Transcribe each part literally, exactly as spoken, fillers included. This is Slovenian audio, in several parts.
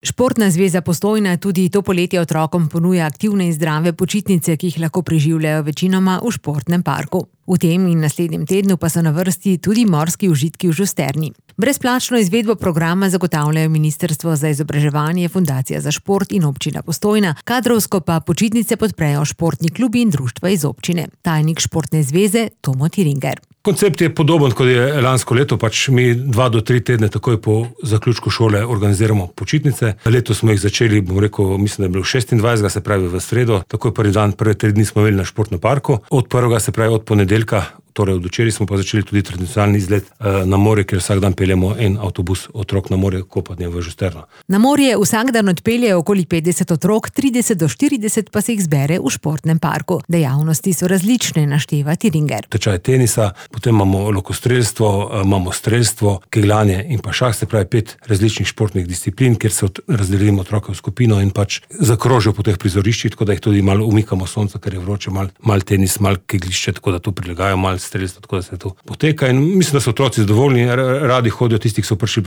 Športna zveza Postojna tudi to poletje otrokom ponuja aktivne in zdrave počitnice, ki jih lahko preživljajo večinoma v športnem parku. V tem in naslednjem tednu pa so na vrsti tudi morski užitki v Žusterni. Brezplačno izvedbo programa zagotavljajo Ministrstvo za izobraževanje, Fundacija za šport in občina Postojna, kadrovsko pa počitnice podprejo športni klubi in društva iz občine. Tajnik Športne zveze Tomo Tiringer. Koncept je podoben, kot je lansko leto, pač mi dva do tri tedne takoj po zaključku šole organiziramo počitnice. Letos smo jih začeli, bom rekel, mislim, da je bilo šestindvajsetega, se pravi v sredo, takoj prvi dan, prve tri dni smo imeli na športnem parku. Od prvega, se pravi od ponedeljka, torej od včeraj smo pa začeli tudi tradicionalni izlet na morje, kjer vsak dan peljemo en avtobus otrok na morje kopanje v Žusterno. Na morje vsak dan odpeljejo okoli petdeset otrok, trideset do štirideset pa se jih zbere v športnem parku. Dejavnosti so različne, našteva Tiringer. Tečaj tenisa, potem imamo lokostrelstvo, imamo strelstvo, kegljanje in pa šah, se pravi pet različnih športnih disciplin, kjer se razdelimo otroke v skupino in pač zakrožijo po teh prizoriščih, tako da jih tudi malo umikamo sonca, ker je vroče, malo mal tenis, malo keglišče, tako da to prilagajo, malo strelstvo, tako da se to poteka in mislim, da so otroci zadovoljni, radi hodijo, tisti, ki so prišli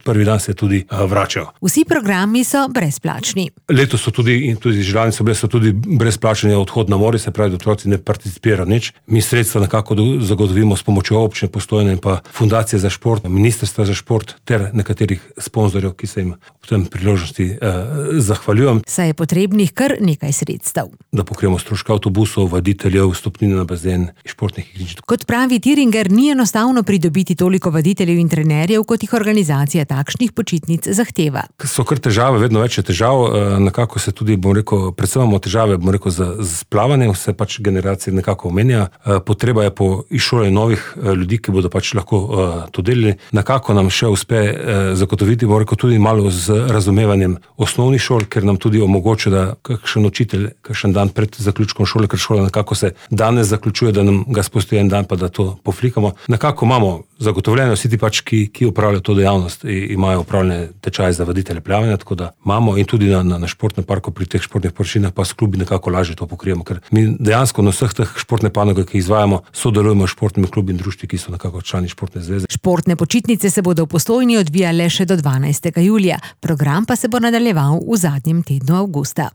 prvi dan, se tudi vračajo. Vsi programi so brezplačni. Letos so tudi, in tudi želani so bile, so tudi brezplačni odhod na morje, se pravi, da otroci ne participirajo nič. Mi sredstva nekako zagotovimo s pomočjo občine Postojne in pa Fundacije za šport, Ministrstva za šport ter nekaterih sponzorjev, ki se jim v tem priložnosti eh, zahvaljujem. Saj je potrebnih kar nekaj sredstev. Da pokrijemo stroške avtobusov, vaditeljev, vstopnine na bazen, športnih igrišč. Kot pravi Tiringer, ni enostavno pridobiti toliko vaditeljev in trenerjev, kot jih organizacija takšnih počitnic zahteva. So kar težave, vedno več je težav, nekako se tudi, bom rekel, predvsem imamo težave, bom rekel, z, z plavanjem, vse pač generacije nekako omenja. Potreba je po izšolanju novih ljudi, ki bodo pač lahko to delili. Nekako nam še uspe zagotoviti, bom rekel, tudi malo z razumevanjem osnovnih šol, ker nam tudi omogoča, da kakšen učitelj, kakšen dan pred zaključkom šole, ker šola nekako se danes zaključuje, da nam ga spusti en dan, pa da to poflikamo. Nekako imamo zagotovljeno vsi ti pač, ki, ki upravljajo to dejavnost, imajo upravljene tečaje za vaditelje plavanja, tako da imamo in tudi na, na, na športnem parku pri teh športnih površinah pa s klubi nekako lažje to pokrijemo, ker mi dejansko na vseh teh športne panoge, ki izvajamo, sodelujemo s športnimi klubi in društvi, ki so nekako člani Športne zveze. Športne počitnice se bodo v Postojni odvijale še do dvanajstega julija. Program pa se bo nadaljeval v zadnjem tednu avgusta.